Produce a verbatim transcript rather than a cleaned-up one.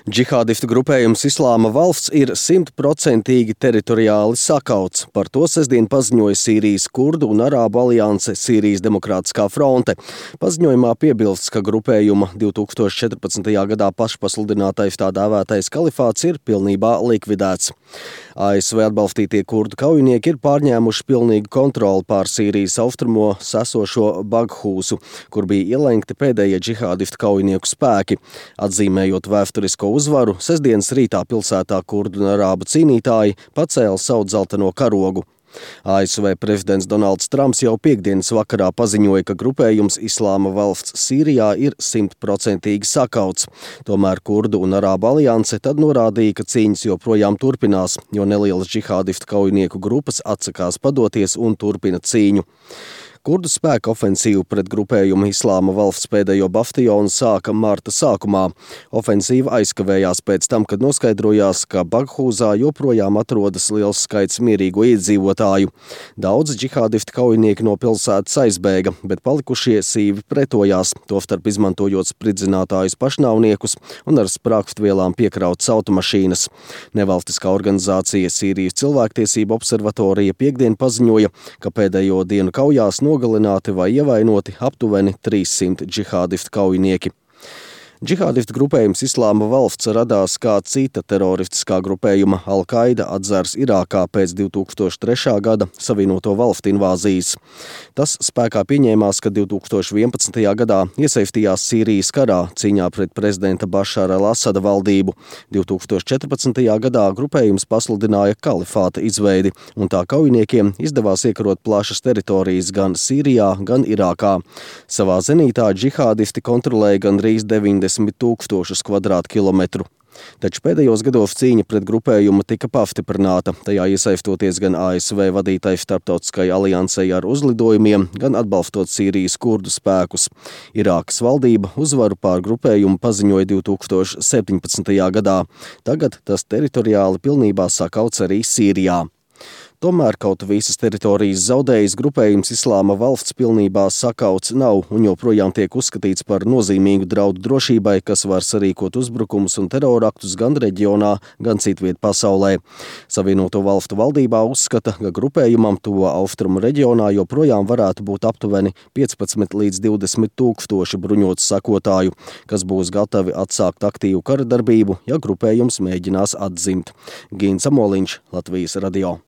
Džihādistu grupējums Islāma valsts ir simtprocentīgi teritoriāli sakauts. Par to sestdien paziņoja Sīrijas kurdu un arābu alianse Sīrijas Demokrātiskā fronte. Paziņojumā piebilsts, ka grupējuma divi tūkstoši četrpadsmitajā gadā pašpasludinātais tā dēvētais kalifāts ir pilnībā likvidēts. A S V atbalstītie kurdu kaujinieki ir pārņēmuši pilnīgu kontroli pār Sīrijas austrumo esošo Baghūsu, kur bija ielenkti pēdējie džihādistu kaujinieku spēki. Atzīmējot vēsturisko uzvaru, sestdienas rītā pilsētā kurdu un arābu cīnītāji pacēla savu dzelteno karogu. A S V prezidents Donalds Trumps jau piekdienas vakarā paziņoja, ka grupējums Islāma valsts Sīrijā ir simtprocentīgi sakauts. Tomēr kurdu un arābu alianse tad norādīja, ka cīņas joprojām turpinās, jo nelielas džihādistu kaujinieku grupas atsakās padoties un turpina cīņu. Kurdu spēku ofensīvu pret grupējumu Islāma valsts pēdējo bastionu sāka marta sākumā. Ofensīva aizkavējās pēc tam, kad noskaidrojās, ka Baghūzā joprojām atrodas liels skaits mierīgo iedzīvotāju. Daudz džihādistu kaujinieki no pilsētas aizbēga, bet palikušie sīvi pretojās, tostarp izmantojot spridzinātājus pašnāvniekus un ar sprāgstvielām piekrautas automašīnas. Nevalstiskā organizācija Sīrijas cilvēktiesību observatorija piekdien paziņoja, ka pēdējo dienu kaujās nogalināti vai ievainoti aptuveni trīssimt džihādistu kaujinieki. Džihādistu grupējums Islāma valsts radās kā cita teroristiskā grupējuma Al-Qaida atzars Irākā pēc divi tūkstoši trešā gada Savienoto valstu invāzijas. Tas spēkā pieņēmās, ka divi tūkstoši vienpadsmitajā gadā iesaistījās Sīrijas karā cīņā pret prezidenta Bašara al-Asada valdību. divi tūkstoši četrpadsmitajā gadā grupējums pasludināja kalifāta izveidi, un tā kaujiniekiem izdevās iekarot plašas teritorijas gan Sīrijā, gan Irākā. Savā zenītā džihādisti kontrolēja gandrīz deviņdesmit tūkstošus kvadrātkilometru. Taču pēdējos gados cīņa pret grupējumu tika pastiprināta, tajā iesaistoties gan A S V vadītai starptautiskai aliansei ar uzlidojumiem, gan atbalstot Sīrijas kurdu spēkus. Irākas valdība uzvaru pār grupējumu paziņoja divi tūkstoši septiņpadsmitajā gadā. Tagad tas teritoriāli pilnībā sakauts arī Sīrijā. Tomēr kaut visas teritorijas zaudējis grupējums Islāma valsts pilnībā sakauts nav un joprojām tiek uzskatīts par nozīmīgu draudu drošībai, kas var sarīkot uzbrukumus un teroraktus gan reģionā, gan citviet pasaulē. Savienoto valstu valdībā uzskata, ka grupējumam tuvo austrumu reģionā joprojām varētu būt aptuveni piecpadsmit līdz divdesmit tūkstoši bruņotu sakotāju, kas būs gatavi atsākt aktīvu kara darbību, ja grupējums mēģinās atzimt. Gīns Amoliņš, Latvijas radio.